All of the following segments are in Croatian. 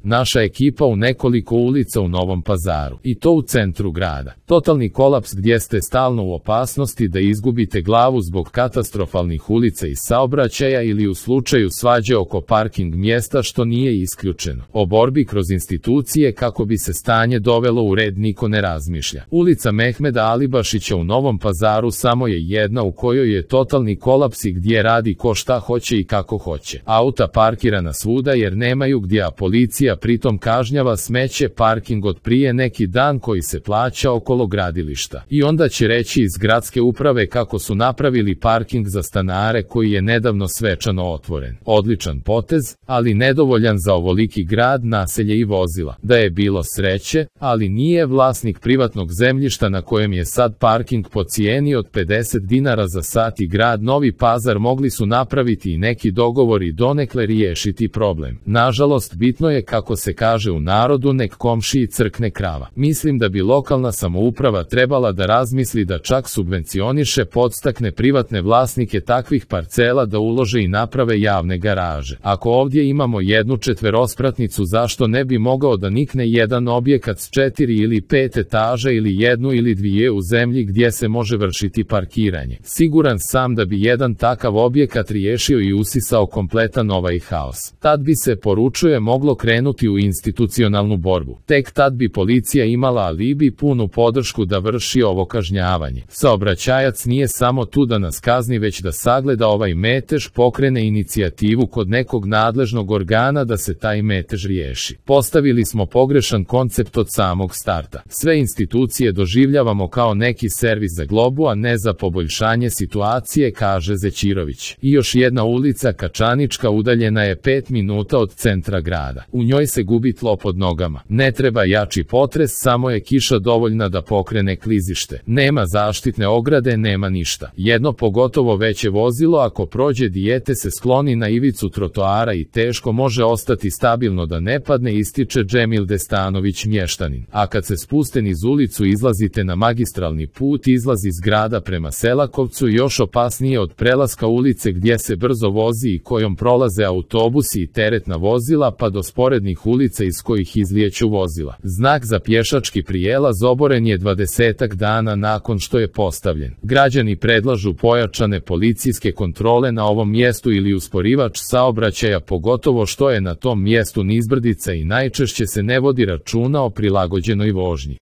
Naša ekipa u nekoliko ulica u Novom Pazaru, i to u centru grada. Totalni kolaps gdje ste stalno u opasnosti da izgubite glavu zbog katastrofalnih ulica i saobraćaja ili u slučaju svađe oko parking mjesta, što nije isključeno. O borbi kroz institucije kako bi se stanje dovelo u red niko ne razmišlja. Ulica Mehmeda Alibašića u Novom Pazaru samo je jedna u kojoj je totalni kolaps i gdje radi ko šta hoće i kako hoće. Auta parkirana svuda jer nemaju gdje, a policija pritom kažnjava smeće parking od prije neki dan koji se plaća okolo gradilišta. I onda će reći iz gradske uprave kako su napravili parking za stanare koji je nedavno svečano otvoren. Odličan potez, ali nedovoljan za ovoliki grad, naselje i vozila. Da je bilo sreće, ali nije, vlasnik privatnog zemljišta na kojem je sad parking po cijeni od 50 dinara za sat i grad Novi Pazar mogli su napraviti i neki dogovor i donekle riješiti problem. Nažalost, bitno je, kako se kaže u narodu, nek komšiji crkne krava. Mislim da bi lokalna samouprava trebala da razmisli da čak subvencioniše, podstakne privatne vlasnike takvih parcela da ulože i naprave javne garaže. Ako ovdje imamo jednu četverospratnicu, zašto ne bi mogao da nikne jedan objekat s 4 ili 5 etaža ili jednu ili dvije u zemlji gdje se može vršiti parkiranje? Siguran sam da bi jedan takav objekat riješio i usisao kompletan ovaj haos. Tad bi se, poručuje, moglo krenuti u institucionalnu borbu. Tek tad bi policija imala alibi, punu podršku da vrši ovo kažnjavanje. Saobraćajac nije samo tu da nas kazni, već da sagleda ovaj metež, pokrene inicijativu kod nekog nadležnog organa da se taj metež riješi. Postavili smo pogrešan koncept od samog starta. Sve institucije doživljavamo kao neki servis za globu, a ne za poboljšanje situacije, kaže Zećirović. I još jedna ulica, Kačanička, udaljena je 5 minuta od centra grada. U njoj se gubi tlo pod nogama. Ne treba jači potres, samo je kiša dovoljna da pokrene klizište. Nema zaštitne ograde, nema ništa. Jedno pogotovo veće vozilo ako prođe dijete se skloni na ivicu trotoara i teško može ostati stabilno da ne padne, ističe Džemil Destanović, mještanin. A kad se spuste niz ulicu izlazite na magistralni put, izlaz iz grada prema Selakovcu, još opasnije od prelaska ulice gdje se brzo vozi i kojom prolaze autobusi i teretna vozila, pa do sporednih ulica iz kojih izlijeću vozila. Znak za pješački prijelaz oboren je 20 dana nakon što je postavljen. Građani predlažu pojačane policijske kontrole na ovom mjestu ili usporivač saobraćaja, pogotovo što je na tom mjestu nizbrdica i najčešće se ne vodi računa o prilagođenoj vožnji.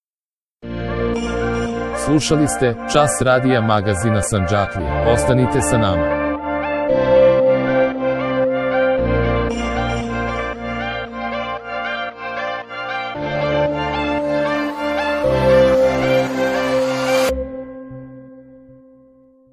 Slušali ste Čas radija magazina Sandžaklije. Ostanite sa nama.